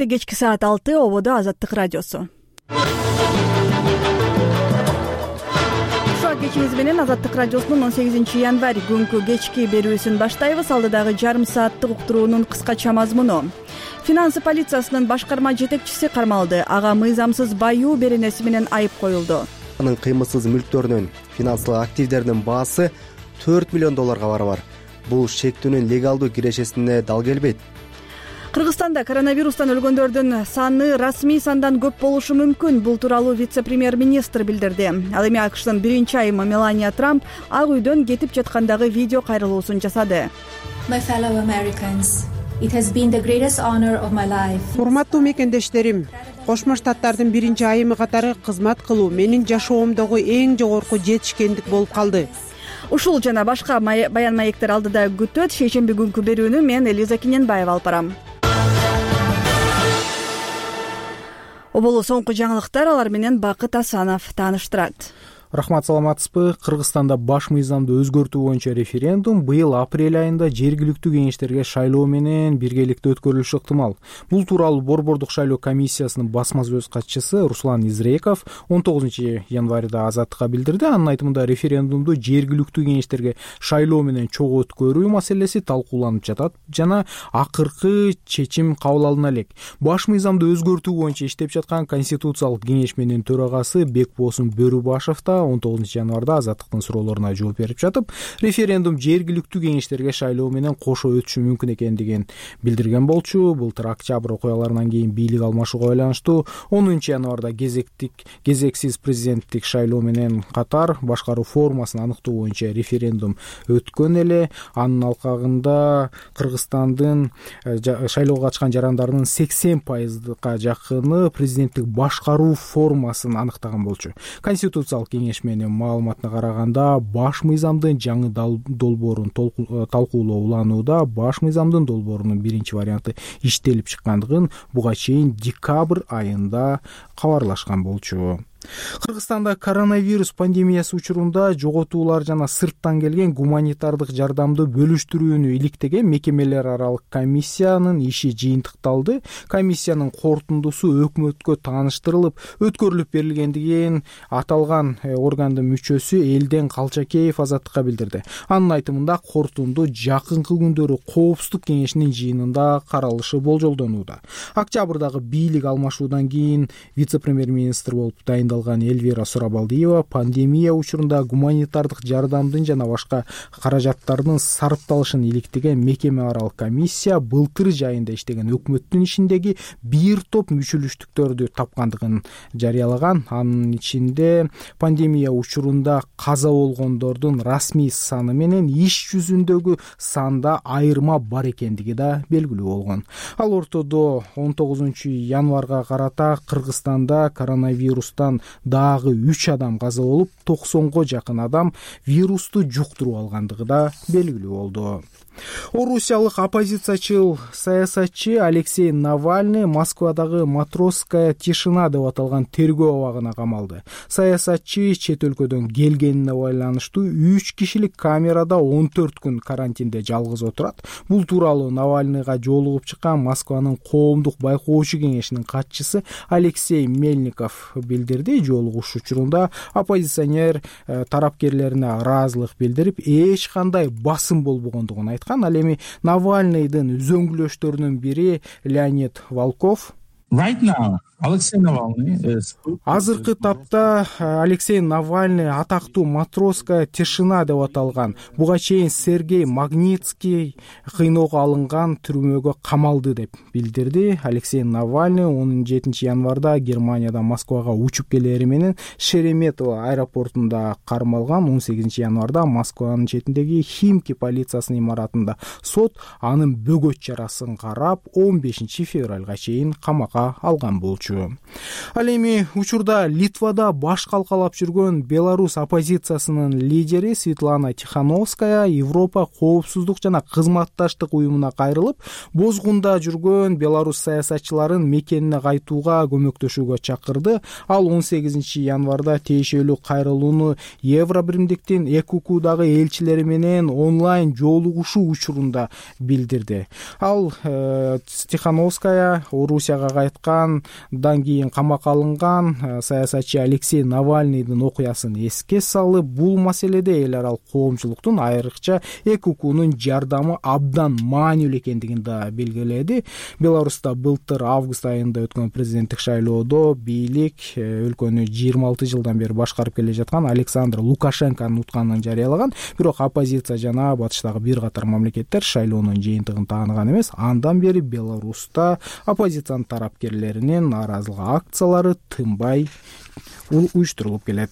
Эфирде кечки саат 6 ободо Азаттык радиосу. Ушак кечиңиз менен Азаттык радиосунун 18 январь күнкү кечки берүүсүн баштайбыз. Алдыдагы жарым сааттык уктуруунун кыскача мазмуну. Финансы полициясынын башкарма жетекчиси кармалды. Ага мыйзамсыз баюу беренеси менен айып коюлду. Анын кыймылсыз мүлктөрүнүн финансылык активдеринин баасы $4 миллион барабар. Бул шектүүнүн легалдуу кирешесине дал келбейт. Кыргызстанда коронавирустан өлгөндөрдүн саны расмий сандан көп болушу мүмкүн. Бул тууралуу вице-премьер-министр билдирди. Ал эми АКШтын биринчи айымы Мелания Трамп Ак үйдөн кетип жаткандагы видео кайрылуусун жасады. Урматтуу мекендештерим, Кошмо Штаттардын биринчи айымы катары кызмат кылуу менин жашоомдогу эң жогорку жетишкендик болуп калды. Ушул жана башка баян маектер алдыда күтөт. Шейшемби күнкү берүүнү мен Элиза Киненбаева алып барам. Оболу соңку жаңылыктар, алар менен Бакыт Асанов тааныштырат. Рахмат, саламатсызбы? Кыргызстанда баш мыйзамды өзгөртүү боюнча референдум быйыл апрель айында жергиликтүү кеңештерге шайлоо менен биргеликте өткөрүлүшү ыктымал. Бул тууралуу Борбордук шайлоо комиссиясынын басма сөз катчысы Руслан Изреков 19 январда Азаттыкка билдирди. Анын айтымында референдумду жергиликтүү кеңештерге шайлоо менен чогуу өткөрүү маселеси талкууланып жатат жана акыркы чечим кабыл алына элек. Баш мыйзамды өзгөртүү боюнча иштеп жаткан Конституциялык кеңешменин төрагасы Бекбосун Бөрүбашев да 19 январда Азаттыктын суроолоруна жооп берип жатып, референдум жергиликтүү кеңештерге шайлоо менен кошо өтүшү мүмкүн экендигин билдирген болчу. Былтыр октябрь окуяларынан кийин бийлик алмашууга байланыштуу 10 январда кезексиз президенттик шайлоо менен катар башкаруу формасын аныктоо боюнча референдум өткөн эле. Анын алкагында Кыргызстандын шайлоого катышкан жарандарынын 80%га жакыны президенттик башкаруу формасын аныктаган болчу. Конституциялык кеңешменин маалыматына караганда, баш мыйзамдын жаңы долбоорун талкуулоо уланууда. Баш мыйзамдын долбоорунун биринчи варианты иштелип чыккандыгын буга чейин декабрь айында кабарлашкан болчу. Кыргызстанда коронавирус пандемиясы учурунда жоготуулар жана сырттан келген гуманитардык жардамды бөлүштүрүүнү иликтеген мекемелер аралык комиссиянын иши жыйынтыкталды. Комиссиянын корутундусу өкмөткө тааныштырылып, өткөрүлүп берилгендигин аталган органдын мүчөсү Элден Калчакеев Азаттыкка билдирди. Анын айтымында корутунду жакынкы күндөрү коопсуздук кеңешинин жыйынында каралышы болжолдонууда. Октябрдагы бийлик алмашуудан кийин вице-премьер-министр болуп Эльвира Сурабалдиева пандемия учурунда гуманитардык жардамдын жана башка каражаттардын сарпталышын иликтеген мекеме аралык комиссия былтыр жайында иштеген өкмөттүн ишиндеги бир топ мүчүлүштүктөрдү тапкандыгын жарыялаган. Анын ичинде пандемия учурунда каза болгондордун расмий саны менен иш жүзүндөгү санда айырма бар экендиги да белгилүү болгон. Ал ортодо 19 январга карата Кыргызстанда коронавирустан дагы 3 адам каза болуп, 90го жакын адам вирусту жуктуруп алгандыгы да белгилүү болду. Орусиялык оппозициячыл саясатчы Алексей Навальный Москвадагы Матросская тишина деп аталган тергөө абагына камалды. Саясатчы чет өлкөдөн келгенине байланыштуу 3 кишилик камерада 14 күн карантинде жалгыз отурат. Бул тууралуу Навальныйга жолугуп чыккан Москванын коомдук байкоочу кеңешинин катчысы Алексей Мельников билдирди. Жолугуш учурунда оппозиционер тарапкерлерине ыраазылык билдирип, эч кандай басым болбогондугун айткан. Ал эми Навальныйдын үзөңгүлөштөрүнүн бири Леонид Волков азыркы тапта Алексей Навальный атактуу Матросская тишина деп аталган буга чейин Сергей Магнитский кыйноого алынган түрмөгө камалды деп билдирди. Алексей Навальный 17 январда Германиядан Москвага учуп келери менен Шереметово аэропортунда кармалган. 18 январда Москванын четиндеги Химки полициясынын имаратында сот анын бөгөт чарасын карап 15 февралга чейин камакка камакка алган болчу. Ал эми учурда Литвада баш калкалап жүргөн Беларусь оппозициясынын лидери Светлана Тихановская Европа коопсуздук жана кызматташтык уюмуна кайрылып, бозгунда жүргөн Беларусь саясатчыларын мекенине кайтууга көмөктөшүүгө чакырды. Ал 18 январда тиешелүү кайрылууну Евробиримдиктин ЭКУКдагы элчилери менен онлайн жолугушуу учурунда билдирди. Ал Тихановская Орусияга кайткандан кийин камакка алынган саясатчы Алексей Навальныйдын окуясын эске салып, бул маселеде эл аралык коомчулуктун, айрыкча ЭКУКнун жардамы абдан маанилүү экендигин да белгиледи. Беларуста былтыр август айында өткөн президенттик шайлоодо бийлик өлкөнү 26 жылдан бери башкарып келе жаткан Александр Лукашенконун утканын жарыялаган. Бирок оппозиция жана батыштагы бир катар мамлекеттер шайлоонун жыйынтыгын тааныган эмес. Андан бери Беларуста оппозициянын тарапкерлеринин нааразылык акциялары тынбай уюштурулуп келет.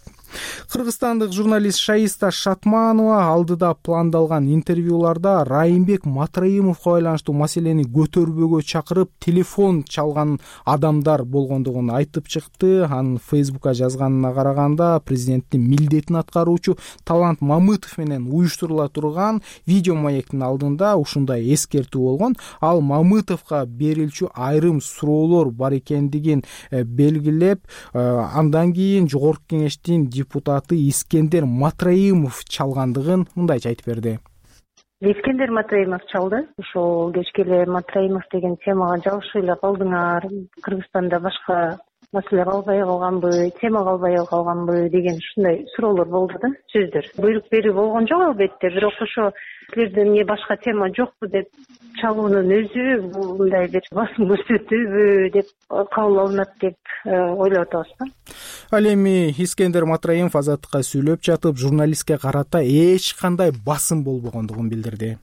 Кыргызстандык журналист Шаиста Шатманова алдыда пландалган интервьюларда Райымбек Матраимовго байланыштуу маселени көтөрбөөгө чакырып, телефон чалган адамдар болгондугун айтып чыкты. Анын Фейсбукка жазганына караганда, президенттин милдетин аткаруучу Талант Мамытов менен уюштурула турган видео маектин алдында ушундай эскертүү болгон. Ал Мамытовго берилчү айрым суроолор бар экендигин белгилеп, андан кийин жогорку кеңештин депутаты Искендер Матраимов чалгандыгын мындайча айтып берди. Искендер Матраимов чалды. Ошол кечке эле Матраимов деген темага жабышып эле калдыңар. Кыргызстанда башка маселе калбай калганбы, тема калбай калганбы деген ушундай суроолор болду да, сөздөр. Буйрук берүү болгон жок албетте, бирок ошо силерде эмне башка тема жокпу деп чалуунун өзү мындай бир басым көрсөтүүбү деп кабыл алынат деп ойлоп атабыз да. Ал эми Искендер Матраимов Азаттыкка сүйлөп жатып, журналистке карата эч кандай басым болбогондугун билдирди.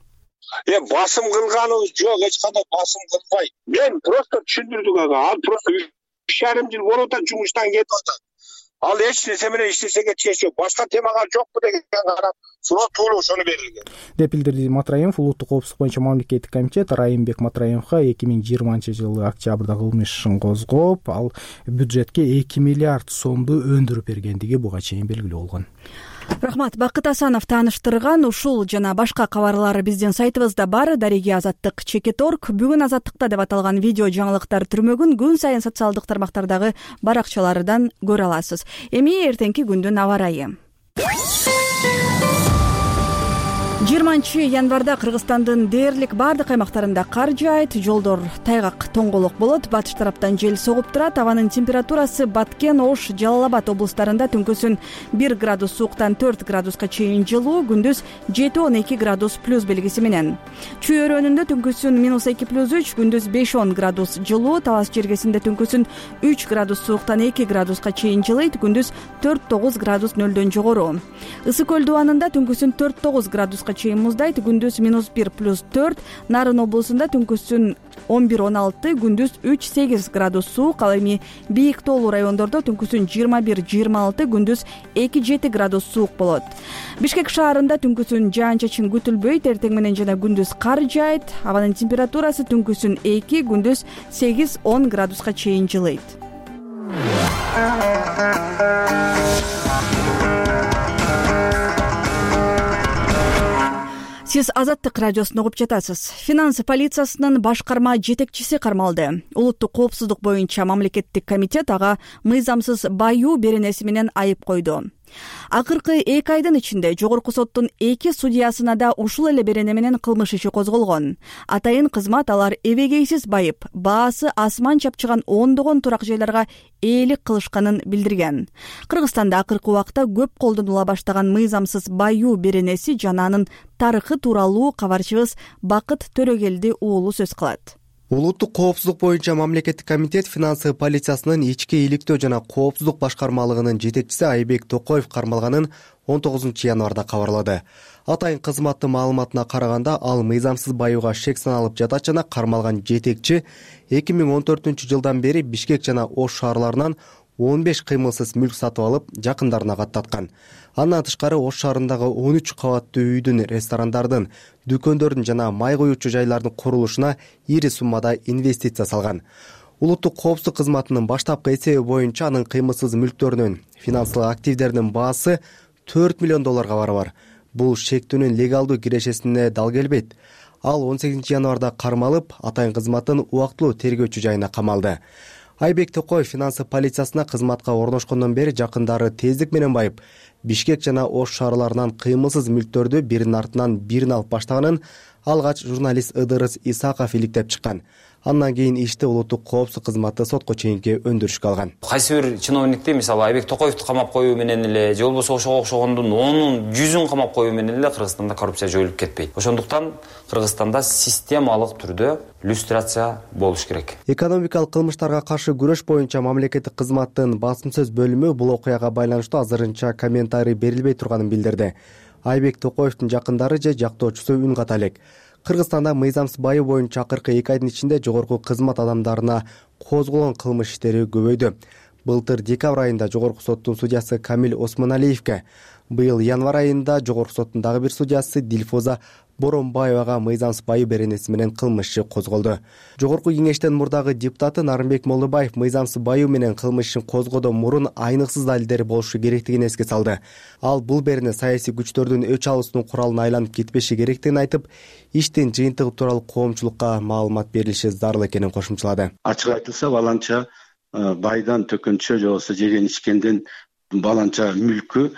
Басым кылганыбыз жок, эч кандай басым кылбайт. Мен просто түшүндүрдүк ага. Ал просто 3,5 жыл болуп атат, жумуштан кетип атат. Ал эч нерсе менен иштесеге чеч жок. Башка темага жокпу деген карап суроо тууру ошону берилген. Деп билдирди Матраимов. Улуттук коопсуздук боюнча мамлекеттик комитет Райымбек Матраимовго 2020-жылы октябрда кылмыш ишин козгоп, ал бюджетке 2 миллиард сомду өндүрүп бергендиги буга чейин белгилүү болгон. Рахмат. Бакыт Асанов тааныштырган ушул жана башка кабарлар биздин сайтыбызда бар. Дареги Азаттык /org. Бүгүн Азаттыкта деп аталган видео жаңылыктар түрмөгүн күн сайын социалдык тармактардагы баракчалардан көрө аласыз. Эми эртеңки күндүн аба ырайы. 20 январда Кыргызстандын дээрлик бардык аймактарында кар жаайт, жолдор тайгак тоңголок болот, батыш тараптан жел согуп турат. Абанын температурасы Баткен, Ош, Жалал Абад облустарында түнкүсүн 1 градус сууктан 4 градуска чейин жылуу, күндүз 7-12 градус плюс белгиси менен. Чүй өрөөнүндө түнкүсүн -2+3, күндүз 5-10 градус жылуу, Талас жергесинде түнкүсүн 3 градус сууктан 2 градуска чейин жылыйт, күндүз 4-9 градус нөлдөн жогору. Ысык көл дубанында түнкүсүн 4-9 градуска чейин муздайт, күндүз -1+4, Нарын облусунда түнкүсүн 11-16, күндүз 3-8 градус суук. Ал эми бийик тоолуу райондордо түнкүсүн 21-26, күндүз 2-7 градус суук болот. Бишкек шаарында түнкүсүн жаан-чачын күтүлбөйт, эртең менен жана күндүз кар жаайт. Абанын температурасы түнкүсүн 2, күндүз 8-10 градуска чейин жылыйт. Сиз Азаттык радиосун угуп жатасыз. Финансы полициясынын башкарма жетекчиси кармалды. Улуттук коопсуздук боюнча мамлекеттик комитет ага мыйзамсыз баюу беренеси менен айып койду. Акыркы 2 айдын ичинде жогорку соттун 2 судьясына да ушул эле берене менен кылмыш иши козголгон. Атайын кызмат алар эбегейсиз байып, баасы асман чапчыган ондогон турак жайларга ээлик кылышканын билдирген. Кыргызстанда акыркы убакта көп колдонула баштаган мыйзамсыз баюу беренеси жана анын тарыхы тууралуу кабарчыбыз Бакыт Төрөгелди уулу сөз кылат. Улуттук коопсуздук боюнча мамлекеттик комитет финансы полициясынын ички иликтөө жана коопсуздук башкармалыгынын жетекчиси Айбек Токоев кармалганын 19 январда кабарлады. Атайын кызматтын маалыматына караганда, ал мыйзамсыз баюуга шек саналып жатат жана кармалган жетекчи 2014-жылдан бери Бишкек жана Ош шаарларынан 15 кыймылсыз мүлк сатып алып, жакындарына каттаткан. Андан тышкары Ош шаарындагы 13 кабаттуу үйдүн, ресторандардын, дүкөндөрдүн жана май куюучу жайлардын курулушуна ири суммада инвестиция салган. Улуттук коопсуздук кызматынын баштапкы эсеби боюнча анын кыймылсыз мүлктөрүнүн финансылык активдеринин баасы $4 миллион барабар. Бул шектүүнүн легалдуу кирешесине дал келбейт. Ал 18 январда кармалып, атайын кызматтын убактылуу тергөөчү жайына камалды. Айбек Токоев финансы полициясына кызматка орношкондон бери жакындары тездик менен байып, Бишкек жана Ош шаарларынан кыймылсыз мүлктөрдү биринин артынан бирин алып баштаганын алгач журналист Ыдырыс Исаков иликтеп чыккан. Андан кийин ишти улуттук коопсуздук кызматы сотко чейинки өндүрүшкө алган. Кайсы бир чиновникти, мисалы Айбек Токоевду камап коюу менен эле же болбосо ошого окшогондун 10-100-ун камап коюу менен эле Кыргызстанда коррупция жоюлуп кетпейт. Ошондуктан Кыргызстанда системалык түрдө люстрация болуш керек. Экономикалык кылмыштарга каршы күрөш боюнча мамлекеттик кызматтын басым сөз бөлүмү бул окуяга байланыштуу азырынча комментарий берилбей турганын билдирди. Айбек Токоевдун жакындары же жактоочусу үн ката элек. Кыргызстанда мыйзамсыз байоо боюнча акыркы 2 айдын ичинде жогорку кызмат адамдарына козголгон кылмыш иштери көбөйдү. Былтыр декабрь айында жогорку соттун судьясы Камил Осмоналиевке, быйыл январь айында жогорку соттун дагы бир судьясы Дилфоза Боронбаевага мыйзамсыз байоо беренеси менен кылмыш иши козголду. Жогорку кеңештин мурдагы депутаты Нарымбек Молдобаев мыйзамсыз байоо менен кылмыш ишин козгоодон мурун айныксыз далилдери болушу керектигин эске салды. Ал бул берене саясий күчтөрдүн өч алуусунун куралына айланып кетпеши керектигин айтып, иштин жыйынтыгы тууралуу коомчулукка маалымат берилиши зарыл экенин кошумчалады. Ачык айтылса, баланча байдан төкөнчө же болбосо жеген ичкенден баланча мүлкү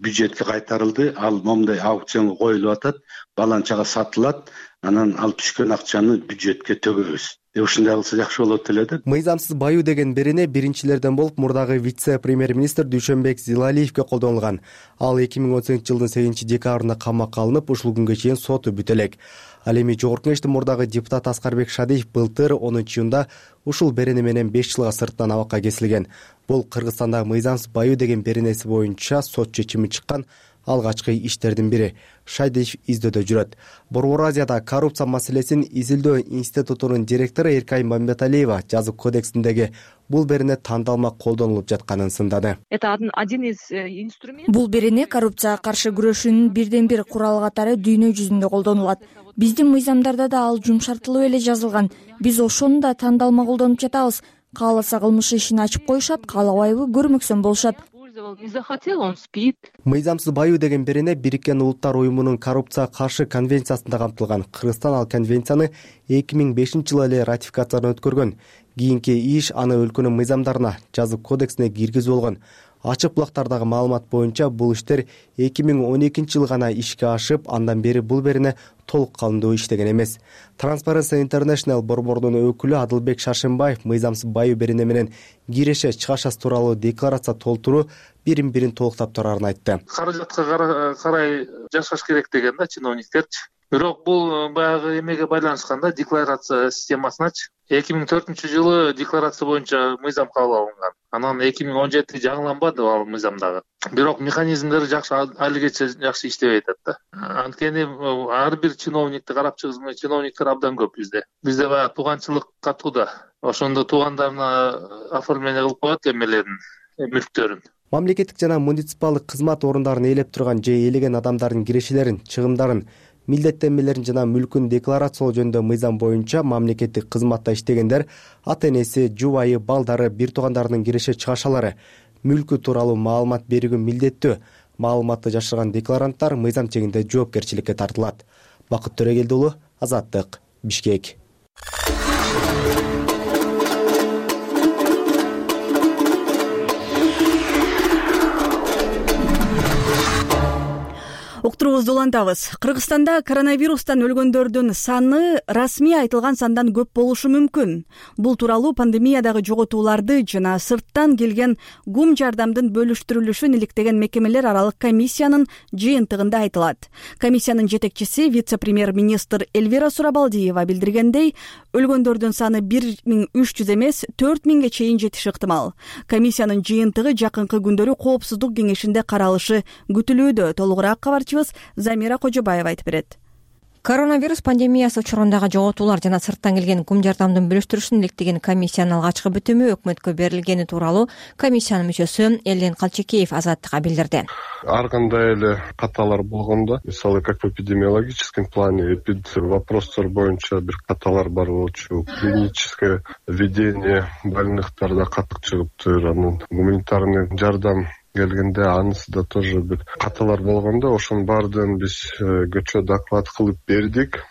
бюджетке кайтарылды. Ал момундай аукционго коюлуп атат, баланчага сатылат, анан ал түшкөн акчаны бюджетке төгөбүз. Ушундай кылса жакшы болот эле да. Мыйзамсыз байоо деген берене биринчилерден болуп мурдагы вице-премьер-министр Дүйшөнбек Зилалиевке колдонулган. Ал 2018-жылдын 8-декабрында камакка алынып, ушул күнгө чейин соту бүтө элек. Ал эми жогорку кеңештин мурдагы депутат Аскарбек Шадиев былтыр 10-июнда ушул берене менен 5 жылга сырттан абакка кесилген. Бул Кыргызстанда мыйзамсыз байоо деген беренеси боюнча сот чечими чыккан алгачкы иштердин бири. Шадиев издөөдө жүрөт. Борбор Азияда коррупция маселесин изилдөө институтунун директору Эркай Мамбеталиева жазык кодексиндеги бул берене тандалма колдонулуп жатканын сындады. Это один из инструментов. Бул берене коррупцияга каршы күрөшүүнүн бирден бир куралы катары дүйнө жүзүндө колдонулат. Биздин мыйзамдарда да ал жумшартылып эле жазылган. Биз ошону да тандалма колдонуп жатабыз. Кааласа кылмыш ишин ачып коюшат, каалабайбы көрмөксөн болушат. Не захотел, он спит. Мыйзамсыз байоо деген берене Бириккен Улуттар уюмунун коррупцияга каршы конвенциясында камтылган. Кыргызстан ал конвенцияны 2005-жылы эле ратификациядан өткөргөн. Кийинки иш аны өлкөнүн мыйзамдарына, жазык кодексине киргизүү болгон. Ачык булактардагы маалымат боюнча бул иштер 2012-жылы гана ишке ашып, андан бери бул берене толук калымдуу иштеген эмес. Transparency International борбордун өкүлү Адылбек Шашынбаев мыйзамсыз байоо берене менен киреше чыгашасы тууралуу декларация толтуруу бирин-бирин толуктап турарын айтты. Каражатка карай жашаш керек деген да чиновниктерчи. Бирок бул баягы эмеге байланышканда декларация системасыначы 2004-жылы декларация боюнча мыйзам кабыл алынган. Анан 2017 жаңыланбады ал мыйзамдагы. Бирок механизмдери жакшы алигече жакшы иштебей атат да. Анткени ар бир чиновникти карап чыгызмай чиновниктер абдан көп бизде. Бизде баягы тууганчылык катууда. Ошондо туугандарына оформление кылып коет эмелерин, мүлктөрүн. Мамлекеттик жана муниципалдык кызмат орундарын ээлеп турган же ээлеген адамдардын кирешелерин, чыгымдарын, милдеттенмелерин жана мүлкүн декларациялоо жөнүндө мыйзам боюнча мамлекеттик кызматта иштегендер ата-энеси, жубайы, балдары, бир туугандарынын киреше чыгашалары, мүлкү тууралуу маалымат берүүгө милдеттүү. Маалыматты жашырган декларанттар мыйзам чегинде жоопкерчиликке тартылат. Бакыт Төрөгелди уулу, Азаттык, Бишкек. Уктуруубузду улантабыз. Кыргызстанда коронавирустан өлгөндөрдүн саны расмий айтылган сандан көп болушу мүмкүн. Бул тууралуу пандемиядагы жоготууларды жана сырттан келген гум жардамдын бөлүштүрүлүшүн иликтеген мекемелер аралык комиссиянын жыйынтыгында айтылат. Комиссиянын жетекчиси вице-премьер-министр Эльвира Сурабалдиева билдиргендей, өлгөндөрдүн саны 1300 эмес 4000ге чейин жетиши ыктымал. Комиссиянын жыйынтыгы жакынкы күндөрү коопсуздук кеңешинде каралышы күтүлүүдө. Толугураак кабарчыбыз Замира Кожобаева айтып берет. Коронавирус пандемиясы учурундагы жоготуулар жана сырттан келген кум жардамдын бөлүштүрүшүн иликтеген комиссиянын алгачкы бүтүмү өкмөткө берилгени тууралуу комиссиянын мүчөсү Элден Калчекеев Азаттыкка билдирди. Ар кандай эле каталар болгондо, мисалы как в эпидемиологическом плане вопростор боюнча бир каталар бар болчу, клиническое ведение больныхтарда катык чыгыптыр, анан гуманитарный жардам келгенде анысы да тоже бир каталар болгондо ошонун баардыгын биз көчө доклад кылып бердик.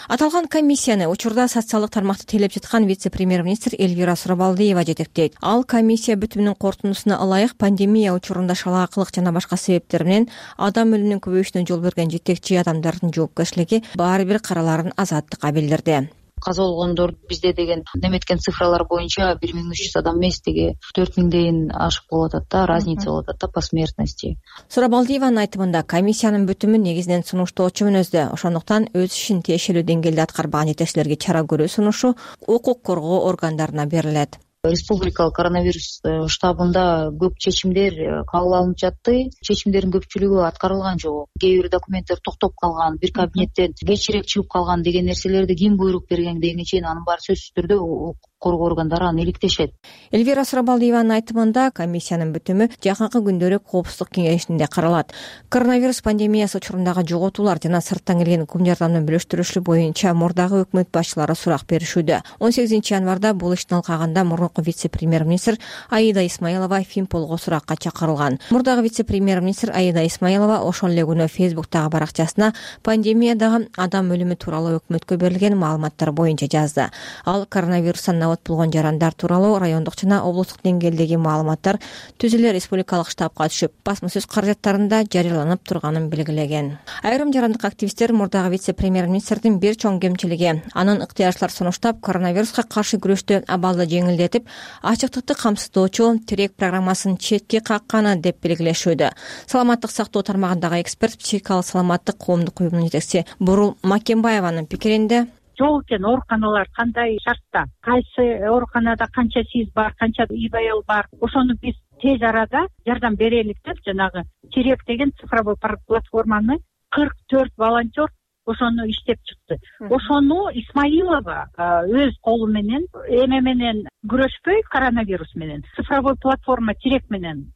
Аталган комиссияны учурда социалдык тармакты тейлеп жаткан вице-премьер-министр Эльвира Сурабалдиева жетектейт. Ал комиссия бүтүмүнүн корутундусуна ылайык пандемия учурунда шалаакылык жана башка себептер менен адам өлүмүнүн көбөйүшүнө жол берген жетекчи адамдардын жоопкерчилиги баары бир караларын Азаттыкка билдирди. Каза болгондор бизде деген неметкен цифралар боюнча 1300 адам эмес, деги 4000ден ашып болуп атат да, разница болуп атат да по смертности. Сурабалдиеванын айтымында комиссиянын бүтүмү негизинен сунуштоочу мүнөздө, ошондуктан өз ишин тиешелүү деңгээлде аткарбаган жетекчилерге чара көрүү сунушу укук коргоо органдарына берилет. Республикалык коронавирус штабында көп чечимдер кабыл алынып жатты. Чечимдердин көпчүлүгү аткарылган жок. Кээ бир документтер токтоп калган, бир кабинеттен кечирээк чыгып калган деген нерселерди ким буйрук берген дегенге чейин анын баары сөзсүз түрдө укук коргоо органдары аны иликтешет. Эльвира Сурабалдиеванын айтымында комиссиянын бүтүмү жакынкы күндөрү коопсуздук кеңешинде каралат. Коронавирус пандемиясы учурундагы жоготуулар жана сырттан келген кум жардамдын бөлүштүрүлүшү боюнча мурдагы өкмөт башчылары сурак беришүүдө. 18 январда бул иштин алкагында мурунку вице-премьер-министр Аида Исмаилова Финполго суракка чакырылган. Мурдагы вице-премьер-министр Аида Исмаилова ошол эле күнү Фейсбуктагы баракчасына пандемиядагы адам өлүмү тууралуу өкмөткө берилген маалыматтар боюнча жазды. Ал коронавирустан абат болгон жарандар тууралуу райондук жана облустук деңгээлдеги маалыматтар түз эле республикалык штабка түшүп, басма сөз каражаттарында жарыяланып турганын белгилеген. Айрым жарандык активисттер мурдагы вице-премьер-министрдин бир чоң кемчилиги анын ыктыярчылар сунуштап коронавируска каршы күрөштө абалды жеңилдетип, ачыктыкты камсыздоочу тирек программасын четке какканы деп белгилешүүдө. Саламаттык сактоо тармагындагы эксперт, психикалык саламаттык коомдук уюмунун жетекчиси Бурул Макембаеванын пикиринде жол экен ооруканалар кандай шартта, кайсы ооруканада канча СИЗ бар, канча ИБЛ бар, ошону биз тез арада жардам берелик деп жанагы Терек деген цифровой платформаны 44 волонтер ошону иштеп чыкты. Ошону Исмаилова өз колу менен эме менен күрөшпөй, коронавирус менен цифровой платформа Терек менен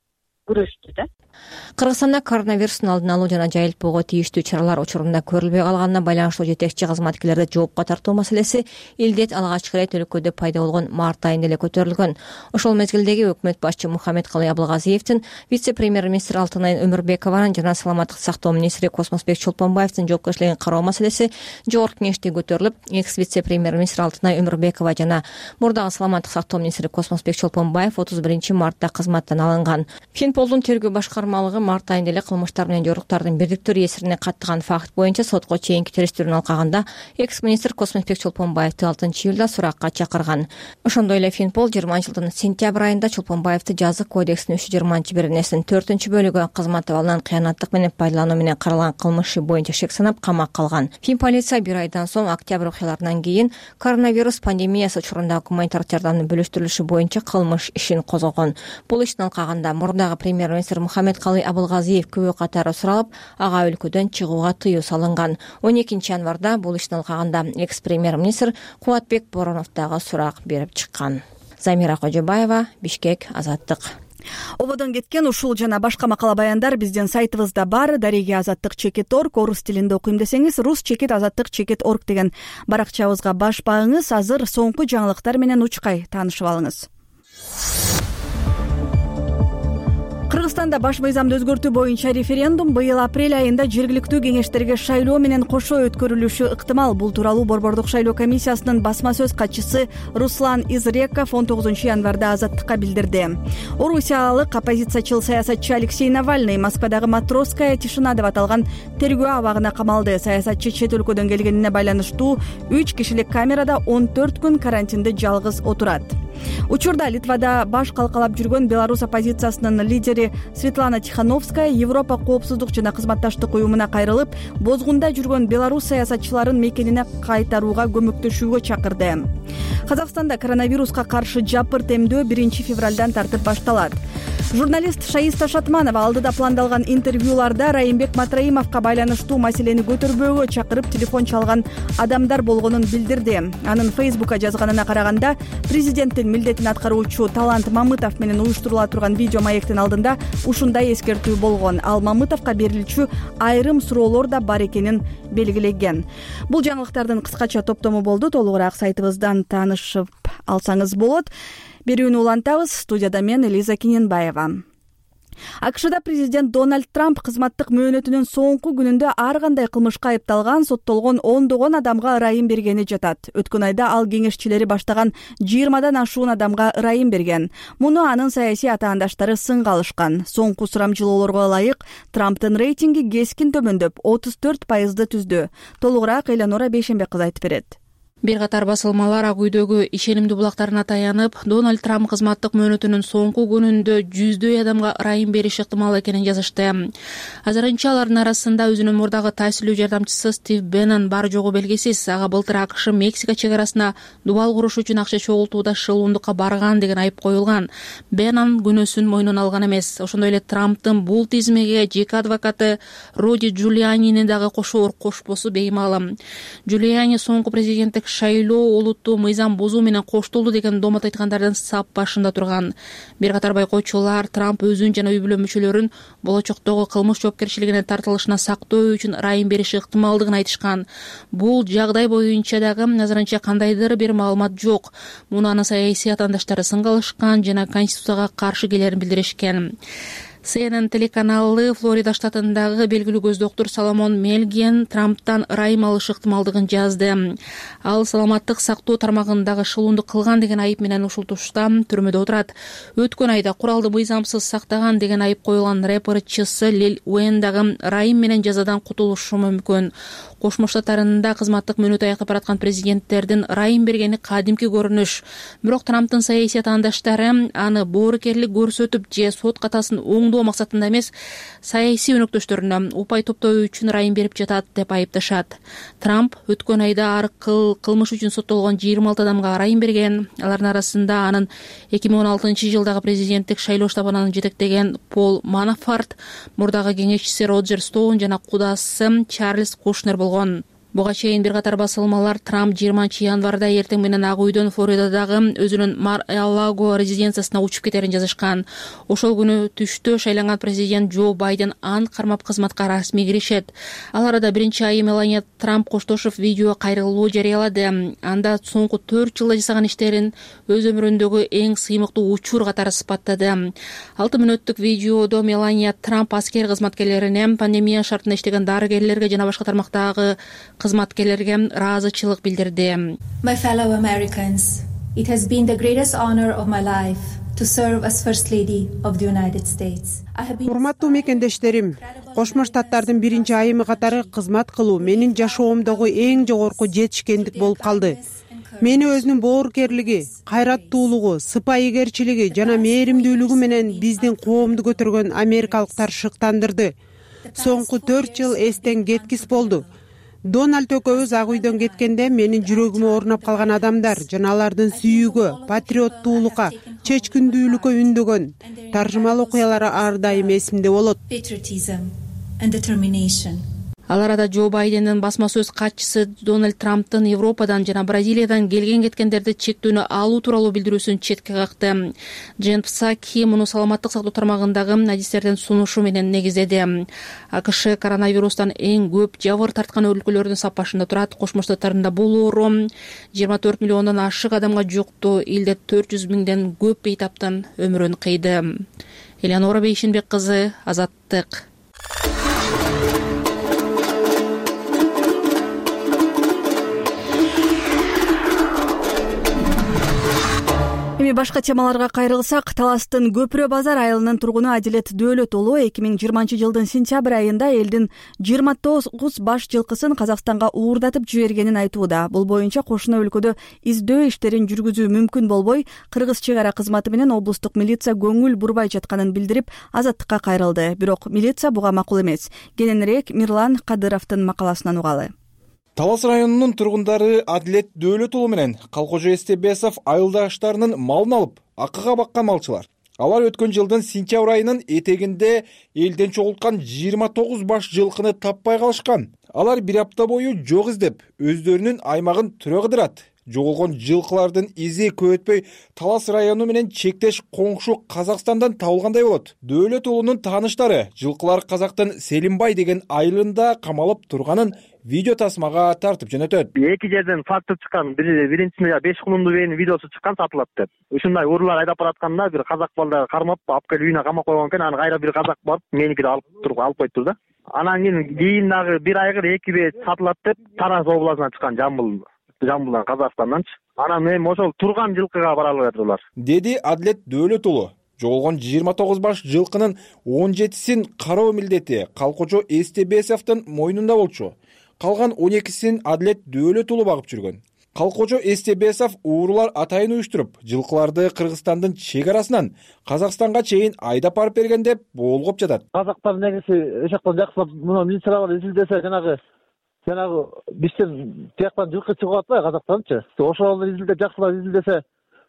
күрөштү да. Кыргызстанда коронавирустун алдын алуу жана жайылтпоого тийиштүү чаралар учурунда көрүлбөй калганына байланыштуу жетекчи кызматкерлерди жоопко тартуу маселеси илдет алгачкы ирет өлкөдө пайда болгон март айында эле көтөрүлгөн. Ошол мезгилдеги өкмөт башчы Мухаммедкалый Абылгазиевдин, вице-премьер-министр Алтынай Өмүрбекованын жана саламаттык сактоо министри Космосбек Чолпонбаевдин жоопкерчилигин кароо маселеси жогорку кеңеште көтөрүлүп, экс-вице-премьер-министр Алтынай Өмүрбекова жана мурдагы саламаттык сактоо министри Космосбек Чолпонбаев 31 мартта кызматтан алынган. Финполдун тергөө башкармалыгы март айында эле кылмыштар менен жоруктардын бирдиктүү реестрине каттыган факт боюнча сотко чейинки териштирүүнү алкагында экс-министр Космосбек Чолпонбаевди 6-июлда суракка чакырган. Ошондой эле Финпол 20-жылдын сентябрь айында Чолпонбаевди жазык кодексинин 320-беренесинин 4-бөлүгү кызмат абалынан кыянаттык менен пайдалануу менен каралган кылмышы боюнча шек санап камакка алган. Финполиция бир айдан соң октябрь окуяларынан кийин коронавирус пандемиясы учурунда гуманитардык жардамдын бөлүштүрүлүшү боюнча кылмыш ишин козгогон. Бул иштин алкагында мурдагы премьер-министр Мухаммедкалый Абылгазиев күбө катары суралып, ага өлкөдөн чыгууга тыюу салынган. 12 январда бул иштин алкагында экс-премьер-министр Кубатбек Боронов дагы сурак берип чыккан. Замира Кожобаева, Бишкек, Азаттык. Ободон кеткен ушул жана башка макала баяндар биздин сайтыбызда бар. Дареги Азаттык.org, орус тилинде окуйм десеңиз rus-azattik.org деген баракчабызга баш багыңыз. Азыр соңку жаңылыктар менен учкай таанышып алыңыз. Кыргызстанда баш мыйзамды өзгөртүү боюнча референдум быйыл апрель айында жергиликтүү кеңештерге шайлоо менен кошо өткөрүлүшү ыктымал. Бул тууралуу Борбордук шайлоо комиссиясынын басма сөз катчысы Руслан Изреков 19 январда Азаттыкка билдирди. Орусиялык оппозициячыл саясатчы Алексей Навальный Москвадагы Матросская тишина деп аталган тергөө абагына камалды. Саясатчы чет өлкөдөн келгенине байланыштуу 3 кишилик камерада 14 күн карантинде жалгыз отурат. Учурда Литвада баш калкалап жүргөн Беларусь оппозициясынын лидери Светлана Тихановская Европа коопсуздук жана кызматташтык уюмуна кайрылып, бозгунда жүргөн Беларусь саясатчыларын мекенине кайтарууга көмөктөшүүгө чакырды. Казакстанда коронавируска каршы жапырт эмдөө 1 февралдан тартып башталат. Журналист Шаиста Шатманова алдыда пландалган интервьюларда Райымбек Матраимовго байланыштуу маселени көтөрбөөгө чакырып телефон чалган адамдар болгонун билдирди. Анын Фейсбукка жазганына караганда, президенттин милдетин аткаруучу Талант Мамытов менен уюштурула турган видео маектин алдында ушундай эскертүү болгон. Ал Мамытовго берилчү айрым суроолор да бар экенин белгилеген. Бул жаңылыктардын кыскача топтому болду. Толугураак сайтыбыздан таанышып алсаңыз болот. Берүүнү улантабыз. Студияда мен Элиза Киненбаева. АКШда президент Дональд Трамп кызматтык мөөнөтүнүн соңку күнүндө ар кандай кылмышка айыпталган, соттолгон ондогон адамга ырайым бергени жатат. Өткөн айда ал кеңешчилери баштаган 20дан ашуун адамга ырайым берген. Муну анын саясий атаандаштары сынга алышкан. Соңку сурамжылоолорго ылайык Трамптын рейтинги кескин төмөндөп 34% түздү. Толугураак Элеонора Бейшенбек кызы айтып берет. Бир катар басылмалар Ак үйдөгү ишенимдүү булактарына таянып, Дональд Трамп кызматтык мөөнөтүнүн соңку күнүндө жүздөй адамга ырайым бериш ыктымал экенин жазышты. Азырынча алардын арасында өзүнүн мурдагы таасирлүү жардамчысы Стив Беннон бар жогу белгисиз. Ага былтыр АКШ Мексика чек арасына дубал куруш үчүн акча чогултууда шылуундукка барган деген айып коюлган. Беннон күнөөсүн мойнуна алган эмес. Ошондой эле Трамптын бул тизмеге жеке адвокаты Руди Джулианини дагы кошоор кошпосу беймаалым. Джулиани соңку президенттик шайлоо олуттуу мыйзам бузуу менен коштолду деген домот айткандардын сап башында турган. Бир катар байкоочулар Трамп өзүн жана үй бүлө мүчөлөрүн болочоктогу кылмыш жоопкерчилигине тартылышына сактоо үчүн ырайым бериши ыктымалдыгын айтышкан. Бул жагдай боюнча дагы азырынча кандайдыр бир маалымат жок. Муну анын саясий атаандаштары сынга алышкан жана Конституцияга каршы келерин билдиришкен. CNN телеканалы Флорида штатындагы белгилүү көз доктур Соломон Мелген Трамптан ырайым алыш ыктымалдыгын жазды. Ал саламаттык сактоо тармагындагы шылуундук кылган деген айып менен ушул тушта түрмөдө отурат. Өткөн айда куралды мыйзамсыз сактаган деген айып коюлган рэпер Чысы Лил Уэн дагы ырайым менен жазадан кутулушу мүмкүн. Кошмо Штаттарында кызматтык мөөнөтү аяктап бараткан президенттердин ырайым бергени кадимки көрүнүш. Бирок Трамптын саясий атаандаштары аны боорукерлик көрсөтүп же сот катасын оңдоо максатында эмес, саясий өнөктөштөрүнө упай топтоо үчүн ырайым берип жатат деп айыпташат. Трамп өткөн айда ар кылмыш үчүн соттолгон 26 адамга ырайым берген. Алардын арасында анын 2016-жылдагы президенттик шайлоо штабынан жетектеген Пол Манафорт, мурдагы кеңешчиси Роджер Стоун жана кудасы Чарльз Кушнер болгон. Буга чейин бир катар басылмалар Трамп 20-январда эртең менен Ак үйдөн Флоридадагы өзүнүн Мар-а-Лаго резиденциясына учуп кетерин жазышкан. Ошол күнү түштө шайланган президент Джо Байден ант кармап кызматка расмий киришет. Ал арада биринчи айым Мелания Трамп коштошуп видео кайрылуу жарыялады. Анда соңку 4 жылда жасаган иштерин өз өмүрүндөгү эң сыймыктуу учур катары сыпаттады. 6 мүнөттүк видеодо Мелания Трамп аскер кызматкерлерине, пандемия шартында иштеген дарыгерлерге жана башка тармактагы кызматкерлерге ыраазычылык билдирди. My fellow Americans, it has been the greatest honor of my life to serve as First Lady of the United States. Урматтуу мекендештерим, Кошмо Штаттардын биринчи айымы катары кызмат кылуу менин жашоомдогу эң жогорку жетишкендик болуп калды. Мени өзүнүн боорукерлиги, кайраттуулугу, сыпайыгерчилиги жана мээримдүүлүгү менен биздин коомду көтөргөн америкалыктар шыктандырды. Соңку 4 жыл эстен кеткис болду. Дональд экөөбүз Ак үйдөн кеткенде менин жүрөгүмө орнап калган адамдар жана алардын сүйүүгө, патриоттуулукка, чечкиндүүлүккө үндөгөн таржымал окуялары ар дайым эсимде болот. Ал арада Джо Байдендин басма сөз катчысы Дональд Трамптын Европадан жана Бразилиядан келген-кеткендерди чектөөнү алуу тууралуу билдирүүсүн четке какты. Джен Псаки муну саламаттык сактоо тармагындагы адистердин сунушу менен негиздеди. АКШ коронавирустан эң көп жабыр тарткан өлкөлөрдүн сапашында турат. Кошмо Штаттарында бул оору 24 миллиондон ашык адамга жукту. Элде 400 миңден көп бейтаптан өмүрүн кыйды. Элеонора Бейшенбек кызы, Азаттык. Эми башка темаларга кайрылсак, Таластын Көпүрө базар айылынын тургуну Адилет Дөөлөт уулу 2020-жылдын сентябрь айында элдин 29 баш жылкысын Казакстанга уурдатып жибергенин айтууда. Бул боюнча кошуна өлкөдө издөө иштерин жүргүзүү мүмкүн болбой, кыргыз чек ара кызматы менен облустук милиция көңүл бурбай жатканын билдирип, Азаттыкка кайрылды. Бирок милиция буга макул эмес. Кененирээк Мирлан Кадыровдун макаласынан угалы. Талас районунун тургундары Адилет Дөөлөт уулу менен Калкожо Эстебесов айылдаштарынын малын алып, акыга баккан малчылар. Алар өткөн жылдын сентябрь айынын этегинде элден чогулткан 29 баш жылкыны таппай калышкан. Алар бир апта бою жок издеп, өздөрүнүн аймагын түрө кыдырат. Жоголгон жылкылардын изи көп өтпөй Талас району менен чектеш коңшу Казакстандан табылгандай болот. Дөөлөт уулунун тааныштары жылкылар Казактын Селимбай деген айылында камалып турганын видео тасмага тартып жөнөтөт. Эки жерден факты чыккан, биринчисинде 5 кулунду бейнин видеосу чыккан, сатылат деп. Ушундай уруулар айдап баратканда бир казак балдар кармап, алып келип үйүнө камап койгон экен. Аны кайра бир казак барып, меникиди алып коюптур да. Анан кийин дагы бир айгыр 2 бет сатылат деп Тараз областынан чыккан, Жамбылдан, Казакстанданчы. Анан эми ошол турган жылкыга баралы жатырлар, деди Адилет Дөөлөт уулу. Жоголгон 29 баш жылкынын 17син кароо милдети Калкожо Эстебесовдун мойнунда болчу. Калган 12син Адилет Дөөлөт уулу багып жүргөн. Калкожо Эстебесов уурулар атайын уюштуруп, жылкыларды Кыргызстандын чек арасынан Казакстанга чейин айдап барып берген деп болгоп жатат. Казактар негизи ошоктон жакшылап мына милициялар изилдесе, жанагы бизден тияктан жылкы чыгып атпайбы Казакстанчы. Ошол изилдеп жакшылап изилдесе,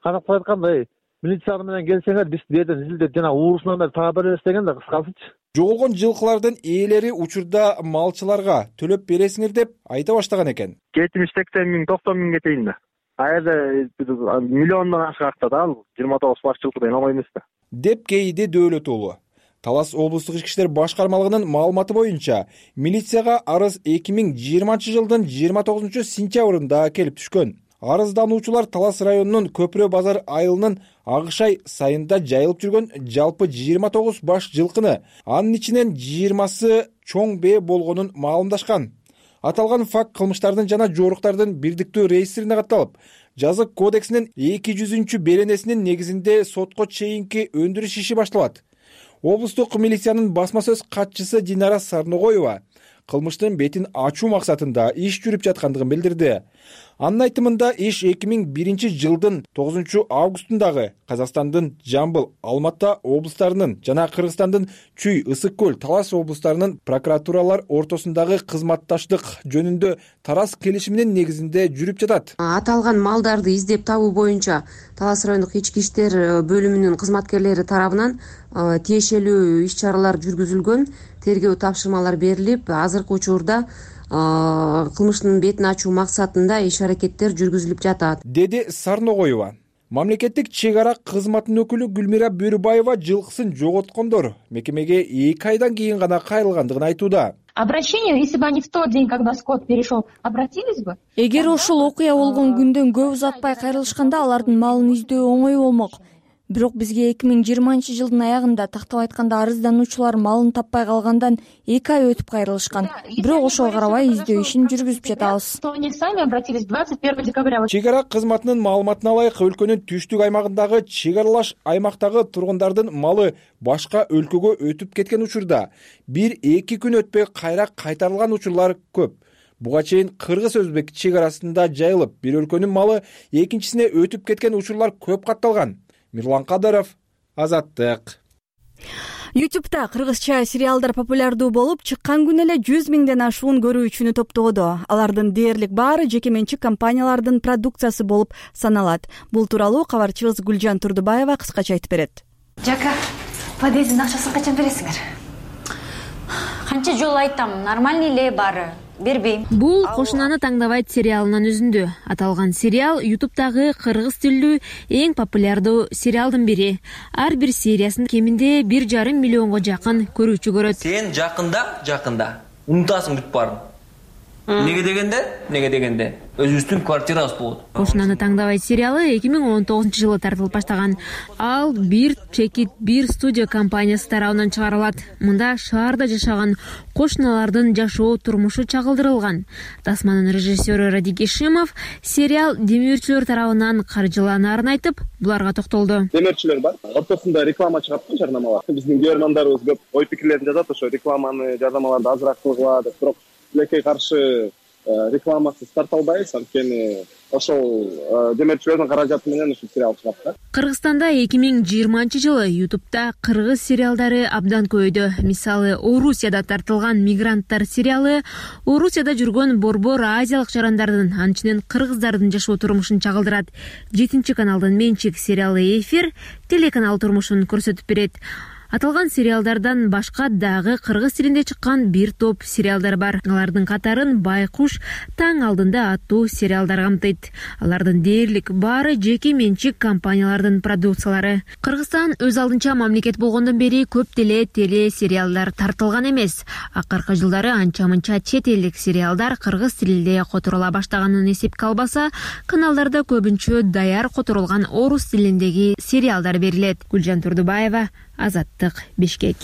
Казактар айткандай милиция менен келсеңер биз беден изилдеп жана уурусунан бери таап беребиз деген да, кыскасычы. Жоголгон жылкылардын ээлери учурда малчыларга төлөп бересиңер деп айта баштаган экен. 70-80 миң, 90 миңге чейин да. Аерде миллиондон ашык актат, ал 29 баш жылкыдан албай эмес да, деп кейиди Дөөлөт уулу. Талас облустук ички иштер башкармалыгынын маалыматы боюнча, милицияга арыз 2020 жылдын 29 сентябрында келип түшкөн. Арыздануучулар Талас районунун Көпүрө базар айылынын Агышай сайында жайылып жүргөн жалпы 29 баш жылкыны, анын ичинен 20сы чоң бээ болгонун маалымдашкан. Аталган факт кылмыштардын жана жоруктардын бирдиктүү реестрине катталып, жазык кодексинин 200 беренесинин негизинде сотко чейинки өндүрүш иши башталат. Облустук милициянын басма сөз катчысы Динара Сарногоева кылмыштын бетин ачуу максатында иш жүрүп жаткандыгын билдирди. Анын айтымында иш 2001 жылдын 9 августундагы Казакстандын Жамбыл, Алматы облустарынын жана Кыргызстандын Чүй, Ысык көл, Талас облустарынын прокуратуралар ортосундагы кызматташтык жөнүндө Тарас келишиминин негизинде жүрүп жатат. Аталган малдарды издеп табуу боюнча Талас райондук ички иштер бөлүмүнүн кызматкерлери тарабынан тиешелүү иш-чаралар жүргүзүлгөн, тергөө тапшырмалар берилип, азыркы учурда кылмыштын бетин ачуу максатында иш-аракеттер жүргүзүлүп жатат, деди Сарногоева. Мамлекеттик чек ара кызматынын өкүлү Гүлмира Бөрүбаева жылкысын жоготкондор мекемеге 2 айдан кийин гана кайрылгандыгын айтууда. Обращение, если бы они в тот день, когда скот перешел, обратились бы? Эгер ошол окуя болгон күндөн көп узатпай кайрылышканда алардын малын издөө оңой болмок. Бирок бизге 2020 жылдын аягында тактап айтканда арыздануучулар малын таппай калгандан 2 ай өтүп кайрылышкан. Бирок ошого карабай издөө ишин жүргүзүп жатабыз. Они сами обратились 21 декабря. Чек ара кызматынын маалыматына ылайык, өлкөнүн түштүк аймагындагы чек аралаш аймактагы тургундардын малы башка өлкөгө өтүп кеткен учурда 1-2 күн өтпөй кайра кайтарылган учурлар көп. Буга чейин кыргыз-өзбек чек арасында жайылып, бир өлкөнүн малы экинчисине өтүп кеткен учурлар көп катталган. Мирлан Кадыров, Азаттык. YouTube'да кыргызча сериалдар популярдуу болуп, чыккан күнү эле 100 миңден ашуун көрүүчүнү топтоодо. Алардын дээрлик баары жеке менчик компаниялардын продукциясы болуп саналат. Бул тууралуу кабарчыбыз Гүлжан Турдубаева кыскача айтып берет. Жака, подъездин акчасын качан бересиңер? Канча жолу айтам, нормальный эле баары. Бербейм. Бул Кошунаны таңдабайт сериалынын үзүндү. Аталган сериал YouTube'дагы кыргыз тилдүү эң популярдуу сериалдын бири. Ар бир сериясын кеминде 1,5 миллионго жакын көрүүчү көрөт. Сен жакында унутасың бүт баарын. Неге дегенде өзүбүздүн квартирабыз болот. Кошунаны таңдабайт сериалы 2019 жылы тартылып баштаган. Ал бир чекит, бир студия компаниясы тарабынан чыгарылат. Мында шаарда жашаган кошуналардын жашоо турмушу чагылдырылган. Тасманын режиссеру Радик Ишимов сериал демөөрчүлөр тарабынан каржыланаарын айтып, буларга токтолду. Демөөрчүлөр бар. Ортосунда реклама чыгат, жарнамалар. Биздин көрөрмандарыбыз көп ой пикирлерин жазат, ошо рекламаны, жарнамаларды азыраак кылгыла деп. Бирок тилекке каршы рекламасыз тарта албайбыз, анткени ошол демирчилердин каражаты менен ушул сериал чыгат да. Кыргызстанда 2020-жылы Ютубта кыргыз сериалдары абдан көбөйдү. Мисалы, Орусияда тартылган «Мигранттар» сериалы Орусияда жүргөн борбор азиялык жарандардын, анчынан кыргыздардын жашоо турмушун чагылдырат. 7-каналдын менчик сериалы «Эфир» телеканал турмушун көрсөтүп берет. Аталган сериалдардан башка дагы кыргыз тилинде чыккан бир топ сериалдар бар. Алардын катарын «Байкуш», «Таң алдында» аттуу сериалдар камтыйт. Алардын дээрлик баары жеке менчик компаниялардын продукциялары. Кыргызстан өз алдынча мамлекет болгондон бери көп деле теле сериалдар тартылган эмес. Акыркы жылдары анча-мынча чет элдик сериалдар кыргыз тилинде которула баштаганын эсепке албаса, каналдарда көбүнчө даяр которулган орус тилиндеги сериалдар берилет. Гүлжан Турдубаева, Азаттык, Бишкек.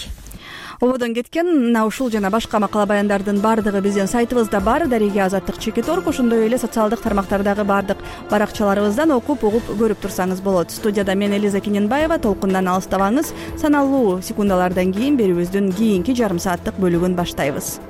Ободон кеткен мына ушул жана башка макала баяндардын баардыгы биздин сайтыбызда бар. Дареге Азаттык /Чекит.org, ошондой эле социалдык тармактардагы баардык баракчаларыбыздан окуп угуп көрүп турсаңыз болот. Студияда мен Элиза Кененбаева. Толкундан алыстабаңыз. Саналуу секундалардан кийин берүүбүздүн кийинки жарым сааттык бөлүгүн баштайбыз.